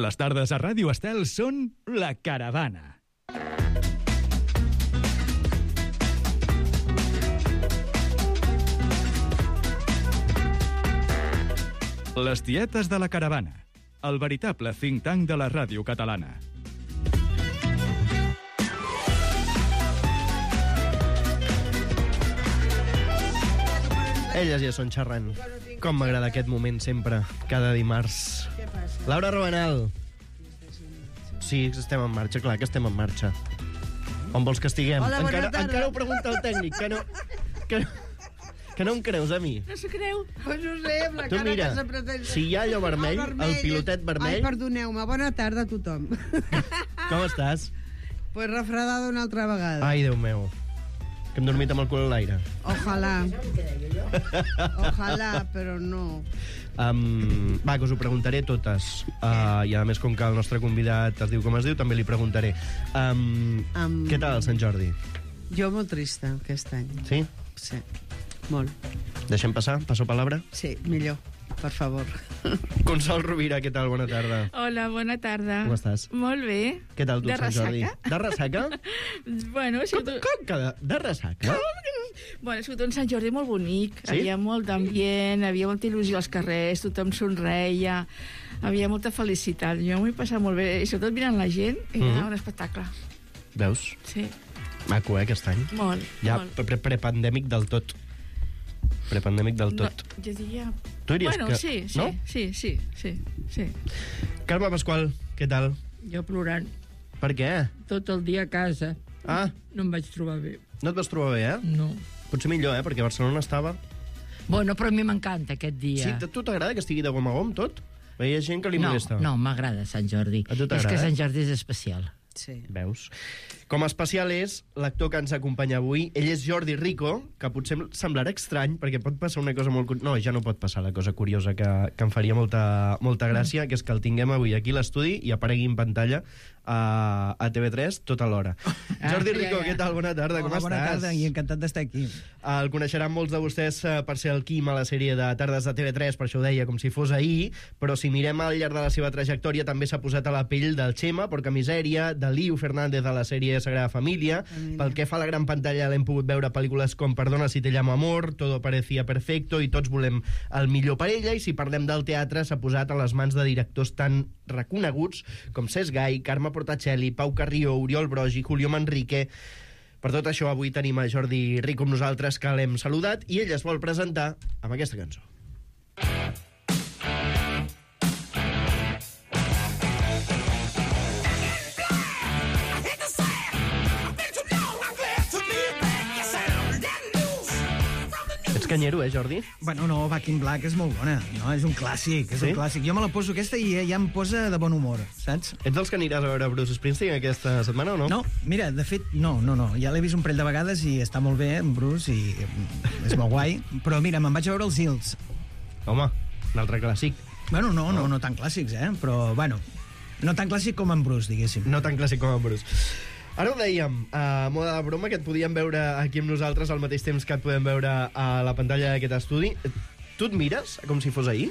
Les tardes a Ràdio Estel són La Caravana. Les tietes de La Caravana, el veritable think tank de la ràdio catalana. Elles ja són xerrant. Com m'agrada aquest moment sempre, cada dimarts. Laura Robanal. Sí, estem en marxa, clar que estem en marxa. On vols que estiguem? Hola, bona tarda. Encara ho pregunta el tècnic, que no em creus a mi. No s'ho creu? Pues no sé, amb la Tu cara mira, que s'ha pretès... si hi ha allò vermell, el pilotet vermell... Ai, perdoneu-me, bona tarda a tothom. Com estàs? Pues refredada una altra vegada. Ai, Déu meu, que hem dormit amb el cul a l'aire. Ojalà. Ojalà, però no. Va, que us ho preguntaré totes. I a més, com que el nostre convidat es diu com es diu, també li preguntaré. Què tal el Sant Jordi? Jo molt trista, aquest any. Sí? Sí, molt. Deixem passar? Passo palabra? Sí, millor, per favor. Consol Rovira, què tal? Bona tarda. Hola, bona tarda. Com estàs? Molt bé. Què tal tu, De Sant Jordi? ressaca? De ressaca? Bueno, ha sigut... Com que de ressaca? Bueno, ha sigut un Sant Jordi molt bonic. Sí? Hi havia molt d'ambient, havia molta il·lusió als carrers, tothom somreia, havia molta felicitat. Jo m'ho he passat molt bé, i sobretot mirant la gent, era un espectacle. Veus? Sí, Maco, aquest any. molt, Ja molt. prepandèmic del tot. Prepandèmic del tot. No, jo diria... Tu diries bueno, que... sí, no? sí. Carme Pasqual, què tal? Jo plorant Per què? tot el dia a casa. Ah, No em vaig trobar bé. no et vas trobar bé, eh? No. Potser millor, perquè Barcelona estava... Bueno, però a mi m'encanta aquest dia. Sí, a tu t'agrada que estigui de gom a gom, tot? Hi ha gent que li no, molesta. no, m'agrada Sant Jordi. A tu t'agrada, És que Sant eh? Jordi és especial. Sí. Veus? Com a especial és l'actor que ens acompanya avui. Ell és Jordi Rico, que potser semblarà estrany, perquè pot passar una cosa molt... No, ja no pot passar la cosa curiosa que em faria molta gràcia, que és que el tinguem avui aquí a l'estudi i aparegui en pantalla a TV3 tota l'hora. Jordi Rico, què tal? Bona tarda, com estàs? Bona tarda i encantat d'estar aquí. El coneixeran molts de vostès per ser el Quim a la sèrie de Tardes de TV3, per això ho deia com si fos ahir, però si mirem al llarg de la seva trajectòria també s'ha posat a la pell del Xema, Porca Misèria, de Liu Fernández a la sèrie Sagrada Família. Pel que fa a la gran pantalla l'hem pogut veure pel·lícules com Perdona si te llamo amor, Todo parecía perfecto i Tots volem el millor per ella, i si parlem del teatre s'ha posat a les mans de directors tan reconeguts com Cesc Gai, Carme Portacelli, Pau Carrió, Oriol Brogi, Julio Manrique. Per tot això avui tenim a Jordi Rico amb nosaltres, que l'hem saludat, i ell es vol presentar amb aquesta cançó. Ets canyero, Jordi? Bueno, no, Back in Black és molt bona, no? És un clàssic, és Sí? un clàssic. Jo me la poso aquesta i ja em posa de bon humor, saps? Ets dels que aniràs a veure Bruce Springsteen aquesta setmana o no? No, mira, de fet, no. Ja l'he vist un parell de vegades i està molt bé, en Bruce, i és molt guai. Però mira, me'n vaig a veure els Hills. Home, un altre clàssic. Bueno, no tan clàssics, Però, bueno, no tan clàssic com en Bruce, diguéssim. No tan clàssic com en Bruce. Ara ho dèiem, a moda de broma, que et podíem veure aquí amb nosaltres al mateix temps que et podem veure a la pantalla d'aquest estudi. Tu et mires com si fos ahir?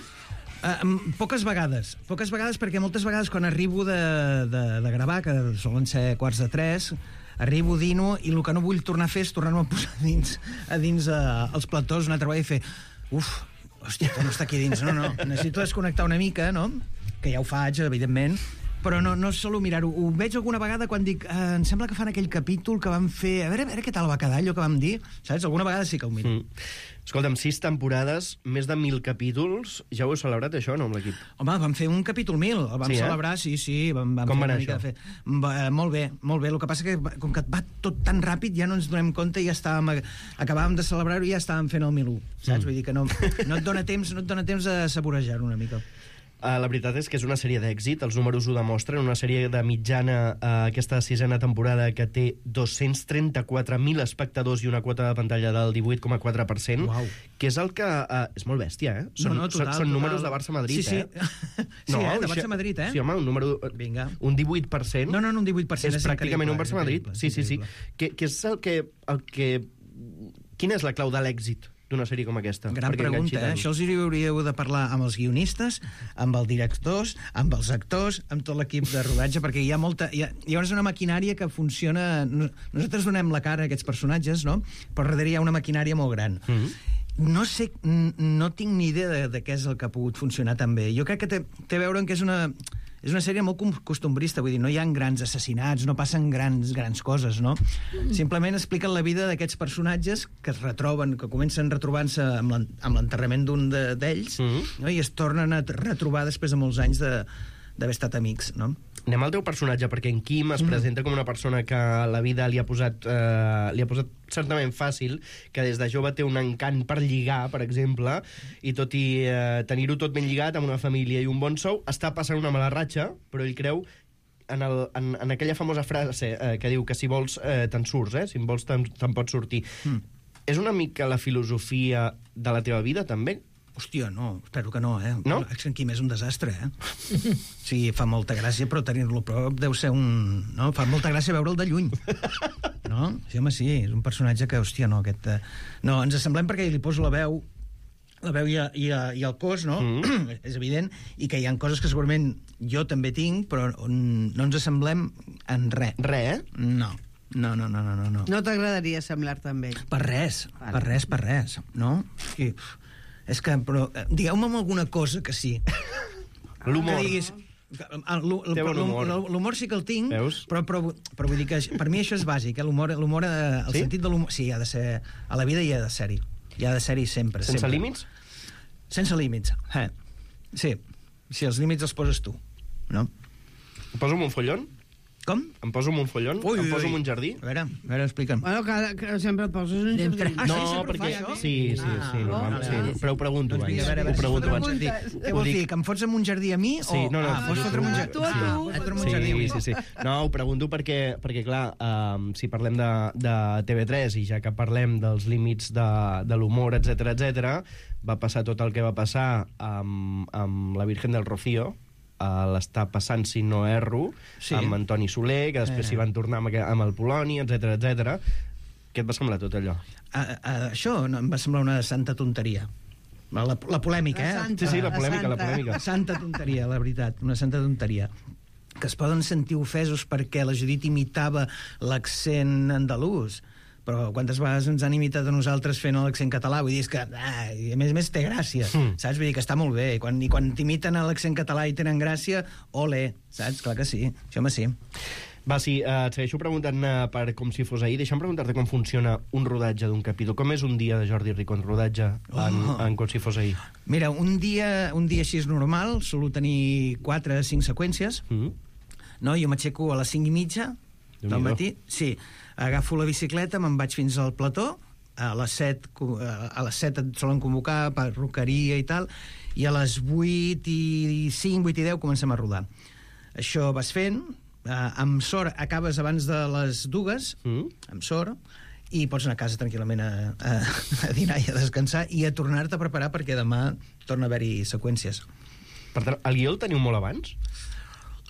Poques vegades, perquè moltes vegades quan arribo de gravar, que solen ser 2:45, arribo, dino, i el que no vull tornar a fer és tornar-me a posar a dins els platós una altra vegada i fer hòstia, no està aquí dins, no, necessito desconnectar una mica, no? Que ja ho faig, evidentment, però no solo mirar-ho. Ho veig alguna vegada quan dic em sembla que fan aquell capítol que vam fer, a veure què tal va quedar allò que vam dir, saps? Alguna vegada sí que ho miro. Escolta'm, 6 temporades, més de 1.000 capítols. Ja ho heu celebrat, això, no, amb l'equip? Home, vam fer un capítol 1000, el vam celebrar, sí, vam Com va fer anar una mica això? de fer. Molt bé. El que passa que, com que va tot tan ràpid, ja no ens donem compte i ja acabàvem de celebrar-ho i ja estàvem fent el 1001, saps? Vull dir que no et dona temps de saborejar-ho una mica. La veritat és que és una sèrie d'èxit, els números ho demostren, una sèrie de mitjana, aquesta 6a temporada, que té 234.000 espectadors i una quota de pantalla del 18,4%, Uau. que és el que... és molt bèstia, Total, són números de Barça-Madrid, sí. No, de Barça-Madrid, Sí, home, un número... Vinga. Un 18%. No, un 18%. És pràcticament un Barça-Madrid. increïble, Sí. increïble. Que és el que... Quina és la clau de l'èxit d'una sèrie com aquesta? Gran Perquè pregunta, enganxi tant? Això els hauríeu de parlar amb els guionistes, amb els directors, amb els actors, amb tot l'equip de rodatge, perquè hi ha molta... Llavors una maquinària que funciona... Nosaltres donem la cara a aquests personatges, no? Però darrere hi ha una maquinària molt gran. No sé, no tinc ni idea de què és el que ha pogut funcionar tan bé. Jo crec que té a veure amb que és una sèrie molt costumbrista, vull dir, no hi ha grans assassinats, no passen grans coses, no? Simplement expliquen la vida d'aquests personatges que es retroben, que comencen retrobant-se amb l'enterrament d'un d'ells, no? I es tornen a retrobar després de molts anys d'haver estat amics, no? Anem al teu personatge, perquè en Quim es presenta com una persona que la vida li ha posat certament fàcil, que des de jove té un encant per lligar, per exemple, i tot i tenir-ho tot ben lligat amb una família i un bon sou, està passant una mala ratxa, però ell creu en aquella famosa frase que diu que si vols te'n surts, si en vols te'n pots sortir. És una mica la filosofia de la teva vida, també? Hòstia, no, espero que no, No? És que en Quim és un desastre, Sí, fa molta gràcia, però tenir-lo a prop deu ser un... No? Fa molta gràcia veure'l de lluny. No? Sí, home, sí, és un personatge que, hòstia, no, aquest... No, ens assemblem perquè li poso la veu i el cos, no? És evident, i que hi ha coses que segurament jo també tinc, però no ens assemblem en res. Res, No. No. No t'agradaria semblar-te amb ell? Per res, no? Sí. És que, però, digueu-me alguna cosa que sí. L'humor. Que diguis... Té bon humor. L'humor sí que el tinc, Veus? però vull dir que per mi això és bàsic, l'humor, el Sí? sentit de l'humor... Sí, ha de ser... A la vida hi ha de ser-hi. Hi ha de ser-hi sempre. Sense sempre. límits? Sense límits. Sí, els límits els poses tu, no? Em poso un follon? Com? Em poso un follon? Em poso un jardí? A veure, explica'm. Bueno, que sempre et poses un jardí. Ah, sí, No, sempre perquè... fa això? Sí, normalment, sí. Però ho pregunto Doncs abans. vinga, a veure, Ho pregunto abans. Què vols dir? Que em fots en un jardí a mi? Sí, no. Vols fotre'm un jardí? Tu a tu. Fotre'm un jardí a mi. Sí. No, ho pregunto perquè clar, si parlem de TV3 i ja que parlem dels límits de l'humor, etc, va passar tot el que va passar amb la Virgen del Rocío, l'està passant, si no erro, Sí. amb Antoni Soler, que després s'hi van tornar amb el Poloni, etc. Què et va semblar tot allò? Això no, em va semblar una santa tonteria. La polèmica, La santa. Sí, la polèmica, la santa. polèmica. Santa tonteria, la veritat, una santa tonteria. Que es poden sentir ofesos perquè la Judit imitava l'accent andalús, però quantes vegades ens han imitat a nosaltres fent l'accent català? Vull dir, és que, i a més té gràcia, saps? Vull dir que està molt bé. I quan t'imiten a l'accent català i tenen gràcia, ole, saps? Clar que sí, això home sí. Va, sí, et segueixo preguntant per com si fos ahir. Deixa'm preguntar-te com funciona un rodatge d'un capítol. Com és un dia de Jordi Rico en rodatge en com si fos ahir? Mira, un dia així és normal, solo tenir 4 o 5 seqüències, no? Jo m'aixeco a les 5:30 del matí, sí, agafo la bicicleta, me'n vaig fins al plató, a les 7 et solen convocar, perruqueria i tal, i a les 8:05, 8:10 comencem a rodar. Això vas fent, amb sort acabes abans de les 2, amb sort, i pots anar a casa tranquil·lament a dinar i a descansar i a tornar-te a preparar perquè demà torna a haver-hi seqüències. Per tant, el guió el teniu molt abans?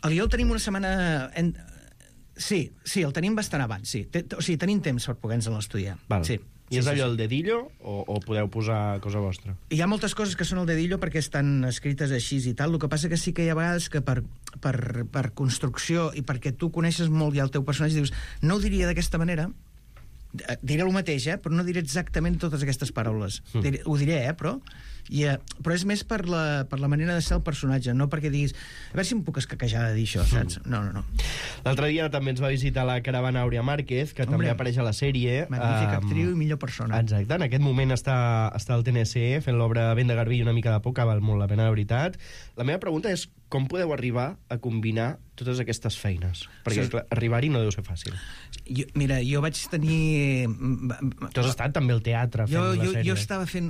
El guió el tenim una setmana... Sí, el tenim bastant abans, sí. O sigui, tenim temps per poder-nos estudiar. Val. Sí. I és allò el dedillo o podeu posar cosa vostra? Hi ha moltes coses que són el dedillo perquè estan escrites així i tal. El que passa que sí que hi ha vegades que per construcció i perquè tu coneixes molt ja el teu personatge dius, no ho diria d'aquesta manera, diré el mateix, però no diré exactament totes aquestes paraules. Ho diré, però és més per la manera de ser el personatge, no perquè diguis a veure si em puc escaquejar de dir això, saps? No. L'altre dia també ens va visitar la caravana Àurea Márquez, que també apareix a la sèrie. Magnífica actriu i millor persona. Exacte, en aquest moment està al TNC fent l'obra Vent de Garbí i una mica de por, que val molt la pena, de veritat. La meva pregunta és com podeu arribar a combinar totes aquestes feines? Perquè clar, arribar-hi no deu ser fàcil. Mira, jo vaig tenir... Tu has estat també al teatre fent la sèrie. Jo estava fent...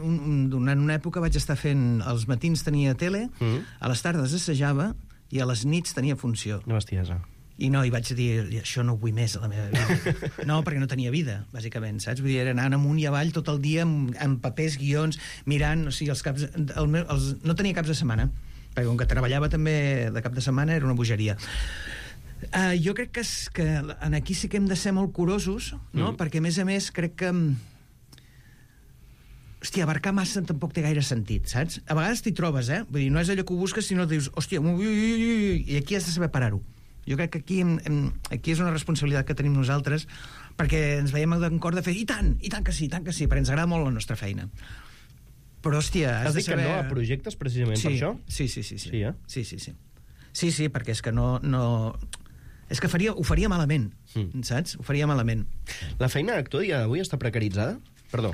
Durant una època vaig estar fent... Els matins tenia tele, a les tardes assajava i a les nits tenia funció. Una bestiesa. I vaig dir, això no ho vull més a la meva vida. No, perquè no tenia vida, bàsicament, saps? Vull dir, era anar amunt i avall tot el dia amb papers, guions, mirant, o sigui, els caps... no tenia caps de setmana, perquè com que treballava també de cap de setmana era una bogeria. Jo crec que aquí sí que hem de ser molt curosos, no? Perquè a més crec que hòstia, abarcar massa tampoc té gaire sentit, saps? A vegades t'hi trobes, Vull dir, no és allò que ho busques, sinó que dius, hòstia, i aquí has de saber parar-ho. Jo crec que aquí és una responsabilitat que tenim nosaltres, perquè ens veiem en cor de fer, i tant que sí, perquè ens agrada molt la nostra feina. Però, hòstia, has dit que no a projectes precisament per això? Sí. Sí, Sí, perquè és que no... És que ho faria malament, saps? Ho faria malament. La feina d'actor dia d'avui està precaritzada? Perdó,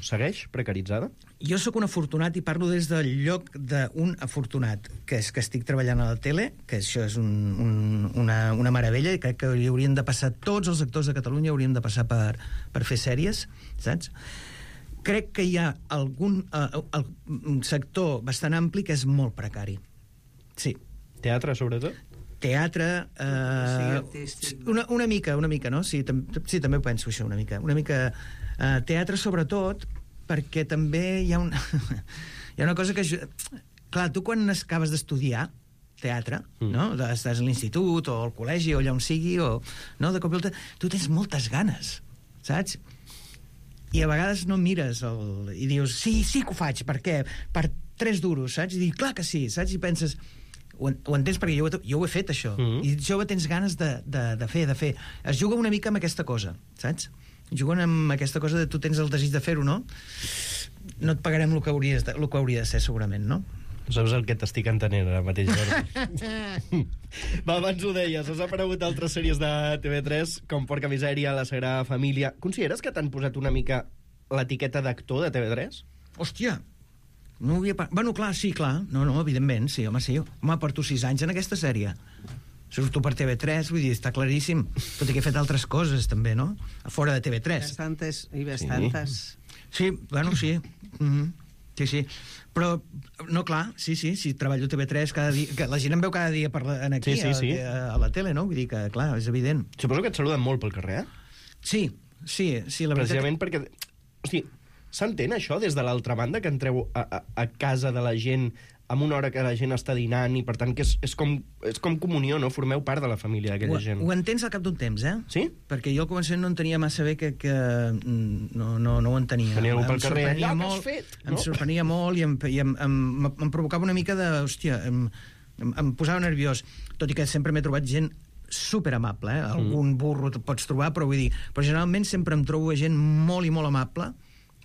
segueix precaritzada? Jo sóc un afortunat i parlo des del lloc d'un afortunat, que és que estic treballant a la tele, que això és una meravella, i crec que haurien de passar, tots els actors de Catalunya haurien de passar per fer sèries, saps? Crec que hi ha algun sector bastant ampli que és molt precari. Sí. Teatre, sobretot? Teatre... una mica, no? Sí, també ho penso, això, una mica... teatre, sobretot, perquè també hi ha una cosa que... Clar, tu quan acabes d'estudiar teatre, no? Estàs a l'institut o al col·legi o allà on sigui, o, no? De cop i volta, tu tens moltes ganes, saps? I a vegades no mires i dius, sí que ho faig, per què? Per 3 duros, saps? I dius, clar que sí, saps? I penses... Ho entens, perquè jo ho he fet, això. I jove tens ganes de fer. Es juga una mica amb aquesta cosa, saps? Juguen amb aquesta cosa de tu tens el desig de fer-ho, no? No et pagarem el que hauria de ser, segurament, no? Saps el que t'estic entenent ara mateix, Jordi? Va, abans ho deies, has aparegut altres sèries de TV3, com Porca Misèria, La Sagrada Família. Consideres que t'han posat una mica l'etiqueta d'actor de TV3? Hòstia! No havia... Bueno, clar, sí, clar. No, evidentment, sí, home, sí. Home, porto 6 anys en aquesta sèrie. Surto per TV3, vull dir, està claríssim. Tot i que he fet altres coses, també, no? A fora de TV3. Bastantes. Sí, bueno, sí. Sí. Però, no, clar, sí, si treballo a TV3 cada dia... Que la gent em veu cada dia aquí, sí. A la tele, no? Vull dir que, clar, és evident. Suposo que et saluden molt pel carrer, Sí, la veritat... Precisament perquè... Hosti, s'entén això des de l'altra banda, que entreu a casa de la gent amb una hora que la gent està dinant i, per tant, que és com comunió, no? Formeu part de la família d'aquella gent. Ho entens al cap d'un temps, Sí? Perquè jo al començament no entenia massa bé que no ho entenia. Tenia algú pel carrer, allò que has fet! Em sorprenia molt i em provocava una mica de... Hòstia, em posava nerviós. Tot i que sempre m'he trobat gent superamable, Algun burro pots trobar, però vull dir... Però generalment sempre em trobo gent molt i molt amable,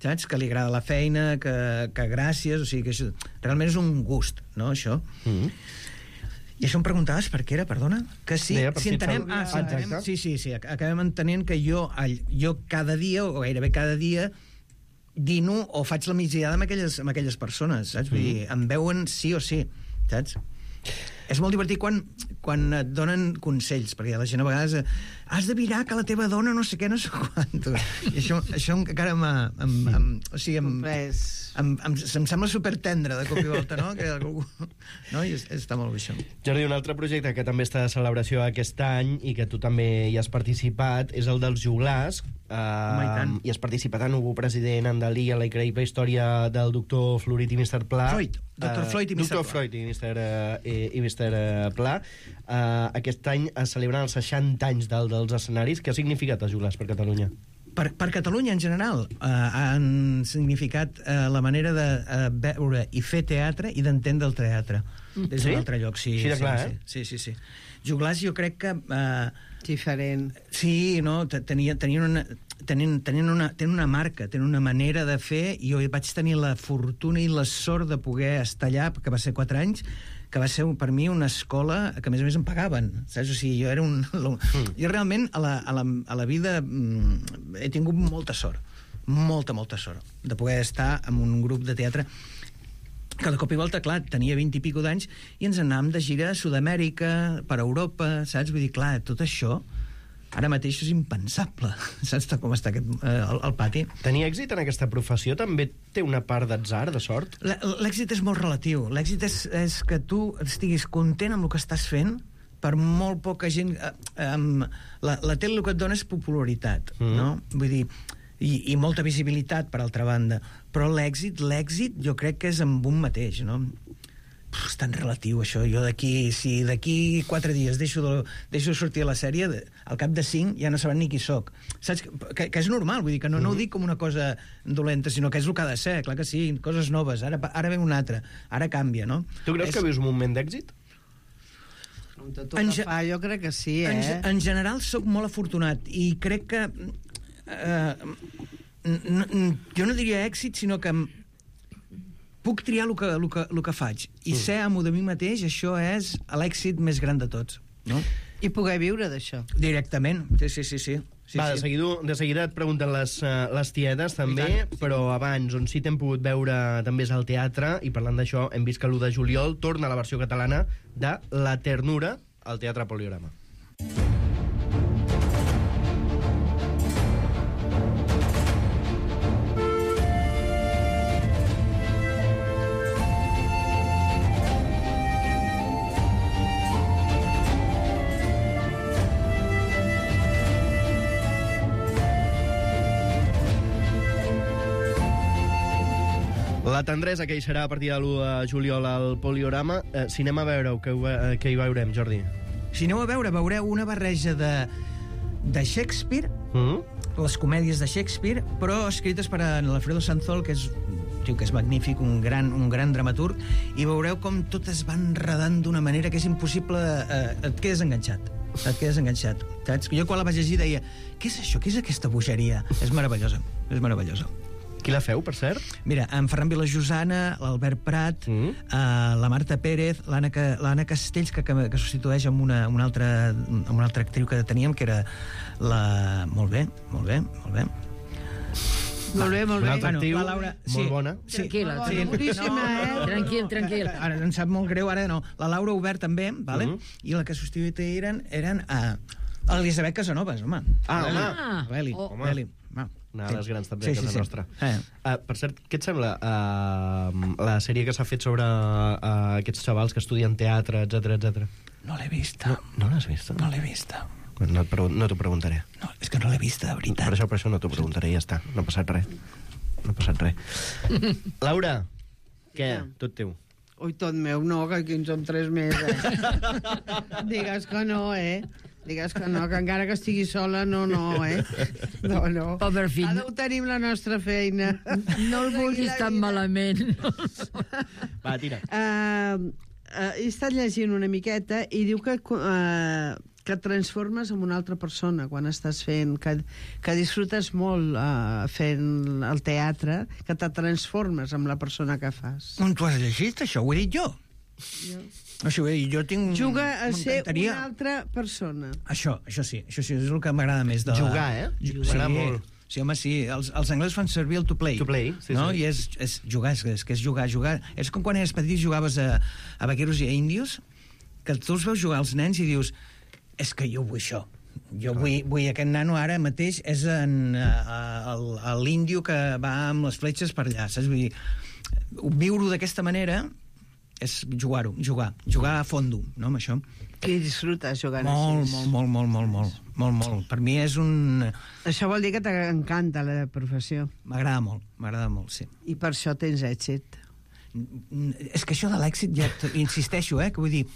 saps? Que li agrada la feina, que gràcies, o sigui que això, realment és un gust, no, això? I això em preguntaves per què era, perdona? Que sí, si entenem... Sí, acabem entenent que jo cada dia, o gairebé cada dia, dino o faig la migdiada amb aquelles persones, saps? Vull dir, em veuen sí o sí, saps? És molt divertit quan et donen consells, perquè la gent a vegades has de mirar que la teva dona no sé què, no sé quantos. I això encara em sembla supertendre de cop i volta, no? No? I està molt bé, això. Jordi, un altre projecte que també està de celebració aquest any i que tu també hi has participat és el dels Joglars. I has participat en Hugo President, en Dalí, a la increïble història del doctor Florit i Mr. Pla. Dr. Floyd i Mr. Pla. Dr. Floyd i Mr. Pla. Aquest any es celebren els 60 anys dels escenaris. Què ha significat els Joglars per Catalunya? Per Catalunya, en general, han significat la manera de veure i fer teatre i d'entendre el teatre. Des d'un altre lloc, sí. Així de clar, Sí. Joglars, jo crec que... Diferent. Sí, no? Tenien una marca, tenen una manera de fer, i jo vaig tenir la fortuna i la sort de poder estar allà, que va ser 4 anys, que va ser per mi una escola que a més em pagaven, saps? O sigui, jo era jo realment a la vida he tingut molta sort, molta sort de poder estar en un grup de teatre que de cop i volta, clar, tenia 20 i pico d'anys i ens anàvem de gira a Sud-amèrica, per Europa, saps? Vull dir, clar, tot això ara mateix és impensable, saps com està el pati? Tenir èxit en aquesta professió també té una part d'atzar, de sort? L'èxit és molt relatiu. L'èxit és que tu estiguis content amb el que estàs fent, per molt poca gent... La tele el que et dona és popularitat, no? Vull dir, i molta visibilitat, per altra banda. Però l'èxit jo crec que és amb un mateix, no? És tan relatiu, això. Jo si d'aquí 4 dies deixo sortir a la sèrie, al cap de 5 ja no saben ni qui sóc. Saps? Que és normal, vull dir que no ho dic com una cosa dolenta, sinó que és el que ha de ser, clar que sí, coses noves, ara ve una altra, ara canvia, no? Tu creus que vius un moment d'èxit? Amb tot el que fa, jo crec que sí, En general sóc molt afortunat i crec que jo no diria èxit, sinó que puc triar el que faig i ser amo de mi mateix, això és l'èxit més gran de tots, no? I poder viure d'això. Directament, sí. Va, de seguida et pregunten les tietes també, però abans, on sí t'hem pogut veure també és al teatre, i parlant d'això hem vist que l'1 de juliol torna la versió catalana de La ternura al Teatre Poliorama. La tendresa, que hi serà a partir de l'1 de juliol al Poliorama. Si anem a veure, què hi veurem, Jordi? Si aneu a veure, veureu una barreja de Shakespeare, les comèdies de Shakespeare, però escrites per l'Alfredo Sanzol, que és que és magnífic, un gran dramaturg, i veureu com tot es va enredant d'una manera que és impossible, et quedes enganxat, saps? Jo quan la vaig llegir deia, què és això, què és aquesta bogeria? És meravellosa. Qui la feu, per cert? Mira, en Ferran Vilajosana, l'Albert Prat, la Marta Pérez, l'Anna Castells, que substitueix amb una altra actriu que teníem, que era la... Molt bé. Una altra actriu, la Laura, molt bona. Tranquil·la. Boníssima, Tranquil. Ara em sap molt greu, ara no. La Laura Obert també, vale? I la que substituïa eren l'Elisabet Casanovas, home. Beli. Una de les grans també a casa nostra. Per cert, què et sembla la sèrie que s'ha fet sobre aquests xavals que estudien teatre, etc? No l'he vista. No l'has vista? No l'he vista. No t'ho preguntaré. No, és que no l'he vista, de veritat. Per això no t'ho preguntaré, ja està. No ha passat res. Laura, què? Tot teu. Ui, tot meu, no, que aquí en som 3 més, Digues que no, Digues que no, que encara que estigui sola, no, No. Pobre fill. Ara ho tenim la nostra feina. No el vulguis tan malament. Va, tira. He estat llegint una miqueta i diu que et transformes en una altra persona quan estàs fent, que disfrutes molt fent el teatre, que te transformes en la persona que fas. On t'ho has llegit, això? Ho he dit jo? O sigui, jo tinc... Juga a ser una altra persona. Això sí, és el que m'agrada més. Jugar, M'agrada molt. Sí, home, sí. Els anglesos fan servir el to play. To play, sí. I és jugar, és que és jugar. És com quan eres petit i jugaves a vaqueros i a índios, que tu els veus jugar als nens i dius, és que jo vull això. Jo vull aquest nano ara mateix és l'índio que va amb les fletxes per allà, saps? Vull dir, viure-ho d'aquesta manera és jugar a fondo, no, amb això. I disfrutes jugant així. Molt. Per mi és un... Això vol dir que t'encanta la professió. M'agrada molt, sí. I per això tens èxit. És que això de l'èxit, ja insisteixo, que vull dir,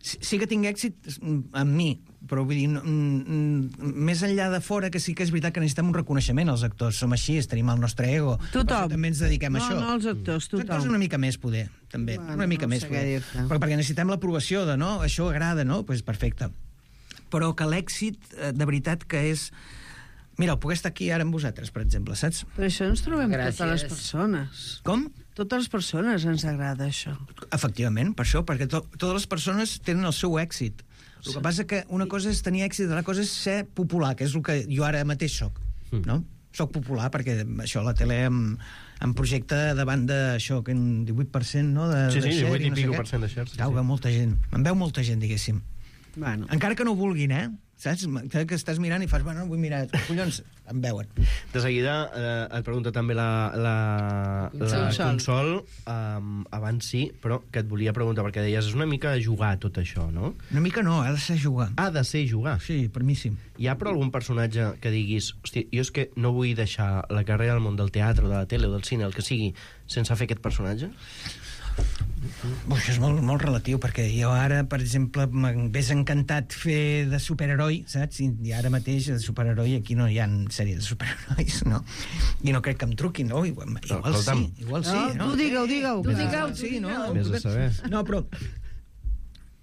sí que tinc èxit amb mi, però vull dir, més enllà de fora, que sí que és veritat que necessitem un reconeixement, els actors som així, tenim el nostre ego, tothom. També ens dediquem a això. No, els actors, tothom. Els actors una mica més, poder, també, una mica més, poder. Però perquè necessitem l'aprovació de, no, això agrada, no? Doncs perfecte. Però que l'èxit, de veritat, que és... Mira, puc estar aquí ara amb vosaltres, per exemple, saps? Però això ens trobem totes les persones. Com? Totes les persones ens agrada això. Efectivament, per això, perquè totes les persones tenen el seu èxit. El que passa que una cosa és tenir èxit, l'altra cosa és ser popular, que és el que jo ara mateix soc, no? Soc popular perquè això, la tele em projecta davant d'això, que un 18%, no? Sí, 18 i pico % de shares. Em veu molta gent, diguéssim. Bueno. Encara que no ho vulguin, saps? Que estàs mirant i fas, bueno, vull mirar, collons, em veuen. De seguida et pregunta també la Consol, abans sí, però que et volia preguntar, perquè deies, és una mica jugar tot això, no? Una mica no, ha de ser jugar. Ha de ser jugar? Sí, per mi sí. Hi ha però algun personatge que diguis, hòstia, jo és que no vull deixar la carrera del món del teatre, o de la tele, o del cine, el que sigui, sense fer aquest personatge? Això és molt relatiu, perquè jo ara, per exemple, m'hagués encantat fer de superheroi, saps? I ara mateix de superheroi aquí no hi ha sèrie de superherois, no? I no crec que em truquin, no? Igual sí, no? Tu digueu. Sí, no? Vés a saber. No, però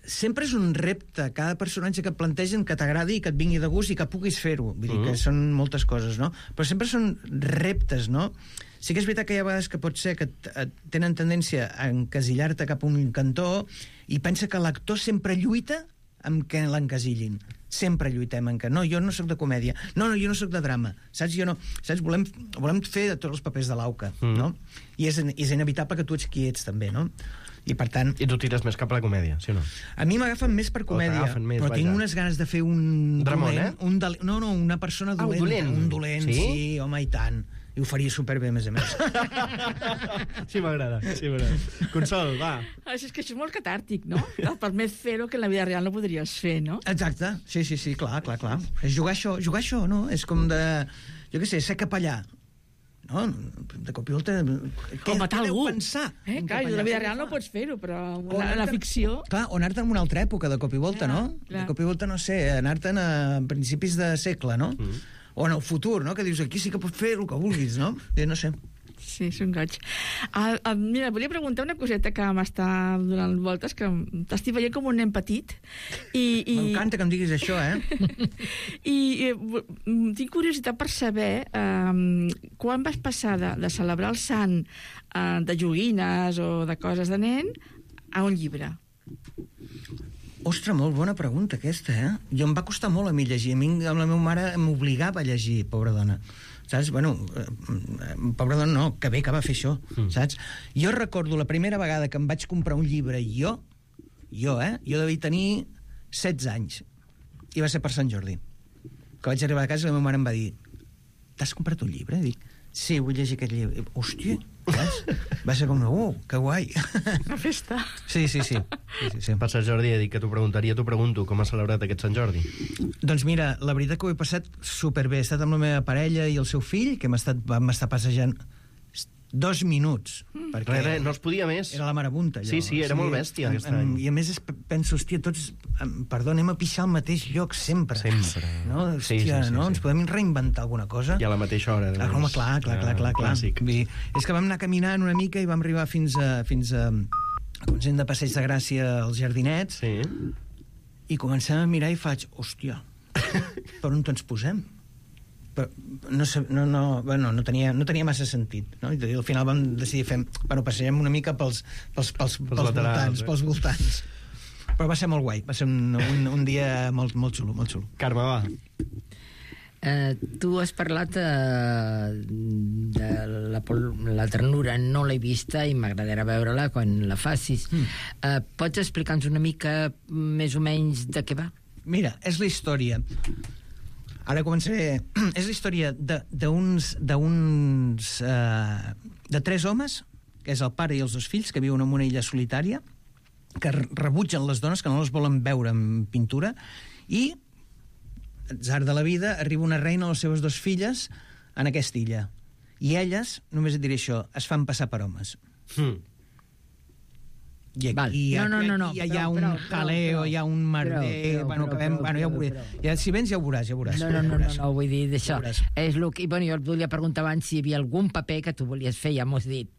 sempre és un repte, cada personatge que et plantegen que t'agradi i que et vingui de gust i que puguis fer-ho. Vull dir que són moltes coses, no? Però sempre són reptes, no? Sí que és veritat que hi ha vegades que pot ser que tenen tendència a encasillar-te cap a un cantó i pensa que l'actor sempre lluita amb que l'encasillin. Sempre lluitem en que no, jo no sóc de comèdia, no, jo no sóc de drama, saps? Jo no, saps? Volem fer tots els papers de l'auca, no? I és inevitable que tu ets qui ets, també, no? I per tant... I tu tires més cap a la comèdia, sí o no? A mi m'agafen més per comèdia, més, però tinc unes ganes de fer un... Dramón, dolent, no, una persona dolenta. Un dolent, sí, home, i tant. I ho faria superbé, a més a més. Sí, m'agrada. Consol, va. És que això és molt catàrtic, no? Et permet fer-ho que en la vida real no podries fer, no? Exacte, sí, clar. És jugar això, no? És com de, jo què sé, ser capellà. No, de cop i volta... O matar algú. Pensar? Clar, en la vida real no pots fer-ho, però en la ficció... Clar, o anar-te'n en una altra època, de cop i volta, no? Clar. De cop i volta, no sé, anar-te'n a principis de segle, no? O en el futur, no? Que dius, aquí sí que pots fer el que vulguis, no? No sé. Sí, és un goig. Mira, volia preguntar una coseta que m'està donant voltes, que t'estic veient com un nen petit. M'encanta que em diguis això, I tinc curiositat per saber quan vas passar de celebrar el sant de joguines o de coses de nen a un llibre. Ostres, molt bona pregunta aquesta, Jo em va costar molt a mi llegir. A mi, la meva mare m'obligava a llegir, pobra dona. Saps? Bueno, pobra dona no, que bé que va fer això, saps? Jo recordo la primera vegada que em vaig comprar un llibre, jo devia tenir 16 anys, i va ser per Sant Jordi. Que vaig arribar a casa i la meva mare em va dir: t'has comprat un llibre? Dic, sí, vull llegir aquest llibre. Hòstia, saps? Va ser com, que guai. Una festa. Sí. Per Sant Jordi he dit que t'ho preguntaria, t'ho pregunto, com has celebrat aquest Sant Jordi? Doncs mira, la veritat que ho he passat superbé. He estat amb la meva parella i el seu fill, que vam estar passejant 2 minuts. Perquè Res, no es podia més. era la marabunta, allò. Sí, era molt bèstia aquest any. I a més penso, hòstia, tots, perdó, anem a pixar al mateix lloc sempre. No? Hòstia, Sí. no? Ens podem reinventar alguna cosa? I a la mateixa hora. Home, clar. Clàssic. És que vam anar caminant una mica i vam arribar fins a Consell de Passeig de Gràcia als Jardinets, Sí. i comencem a mirar i faig, hòstia, per on ens posem? Però no tenia massa sentit, no? I al final vam decidir passegem una mica pels laterals, voltants. Però va ser molt guai, va ser un dia molt xulo, molt xulo. Carme, va. Tu has parlat de la ternura, no l'he vista i m'agradarà veure-la quan la facis. Pots explicar-nos una mica més o menys de què va? Mira, és la història... Ara començaré... És la història de 3 homes, que és el pare i els 2 fills, que viuen en una illa solitària, que rebutgen les dones, que no les volen veure en pintura, i, atzar de la vida, arriba una reina a les seves 2 filles en aquesta illa. I elles, només et diré això, es fan passar per homes. I aquí no. hi ha un jaleo, hi ha un merder... Ja ho veuré. Si vens ja ho veuràs. No, vull dir d'això. És el que, jo et volia preguntar abans si hi havia algun paper que tu volies fer, ja ho has dit,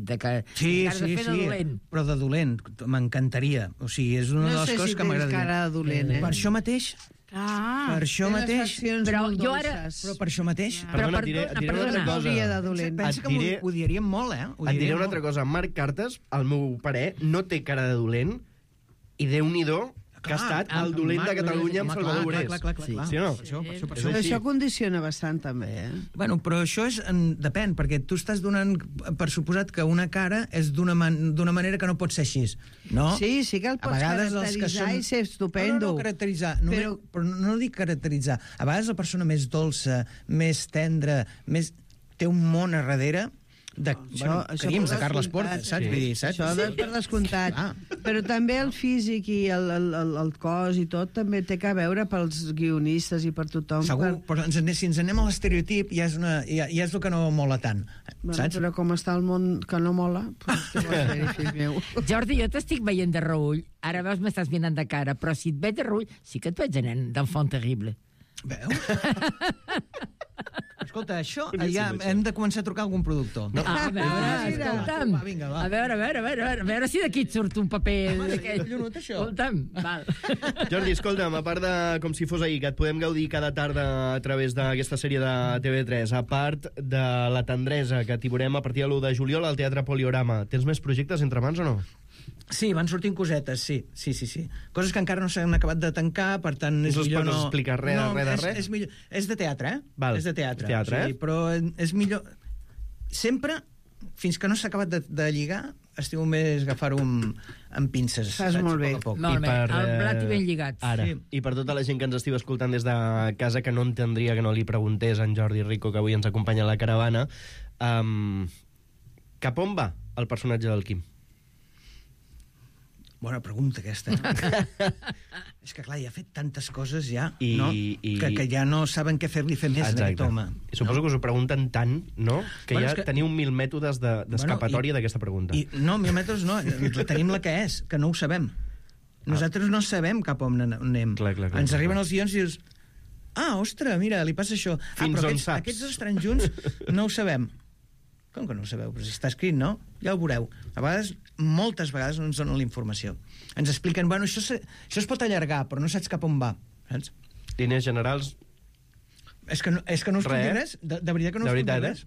de que sí, has de fer de dolent. Però de dolent, m'encantaria. O sigui, és una de les coses que m'agradaria. No sé si tens cara de dolent, Per això mateix... Per això mateix... Però jo ara... Però per això mateix... Perdona, et diré una altra cosa. De dolent. Pensa que m'ho odiaríem molt, Et diré una altra cosa. Marc Cartes, al meu parer, no té cara de dolent i Déu-n'hi-do que ha estat el dolent de Catalunya amb Salvador Borés. Clar. Sí o no? Per això condiciona bastant, també, Bueno, però això depèn, perquè tu estàs donant per suposat que una cara és d'una manera que no pot ser així, no? Sí que el pots caracteritzar i ser estupendo. No, caracteritzar, però no dic caracteritzar. A vegades la persona més dolça, més tendra, té un món a darrere, crims de per Carles descomptat. Portes, saps? Sí. Vull dir, saps? Això per descomptat. Però també el físic i el cos i tot també té que veure pels guionistes i per tothom. Segur, però si ens anem a l'estereotip ja és el que no mola tant, saps? Però com està el món que no mola, doncs què vols fer, fill meu? Jordi, jo t'estic veient de reull. Ara veus, m'estàs mirant de cara, però si et veig de reull, sí que et veig de nen d'enfant terrible. Veus? Escolta, això ja hem de començar a trucar a algun productor. No. A veure, escolta'm. Va, vinga, va. A veure si d'aquí et surt un paper. Collonut, això. Escolta'm, val. Jordi, escolta'm, a part de Com si fos ahir, que et podem gaudir cada tarda a través d'aquesta sèrie de TV3, a part de La tendresa, que t'hi veurem a partir de l'1 de juliol al Teatre Poliorama, tens més projectes entre mans o no? Sí, van sortint cosetes, sí. Coses que encara no s'han acabat de tancar, per tant és No us millor pots explicar res de res? És millor. És de teatre, eh? Val. És de teatre. Teatre, o sigui, però és millor... Sempre, fins que no s'ha acabat de lligar, estimo més agafar-ho amb pinces. Fas molt bé. A poc a poc. Molt bé, el blat i ben lligat. Ara, Sí. i per tota la gent que ens estiu escoltant des de casa, que no entendria que no li preguntés a en Jordi Rico, que avui ens acompanya a la caravana, cap on va el personatge del Quim? Bona pregunta, aquesta. És que, clar, ja ha fet tantes coses, ja, I- no? i- Que ja no saben què fer-li fer més a aquest home. I suposo que us ho pregunten tant, no? Que Bueno, ja és que- teniu 1000 mètodes d'escapatòria d'aquesta pregunta. No, 1000 metres no, tenim la que és, que no ho sabem. Nosaltres no sabem cap on anem. Clar. Ens arriben els guions i dius, ostres, mira, li passa això. Fins Però on saps? aquests estan junts, no ho sabem. Com que no ho sabeu? Però si està escrit, no? Ja ho veureu. A vegades, moltes vegades no ens donen la informació. Ens expliquen, bueno, això es pot allargar, però no saps cap on va. Saps? Línies generals, És que no us puc dir res. De veritat que no us puc dir res.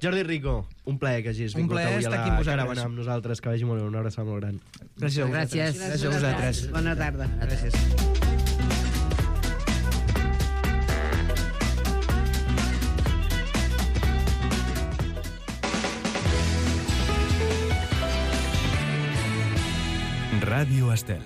Jordi Rico, un plaer que hagis vingut plaer avui a estar la aquí amb vosaltres. caravana amb nosaltres, que vagi molt bé, una abraçada molt gran. Gràcies a vosaltres. Gràcies. Gràcies a vosaltres. Bona tarda. Gràcies. Ràdio Estel.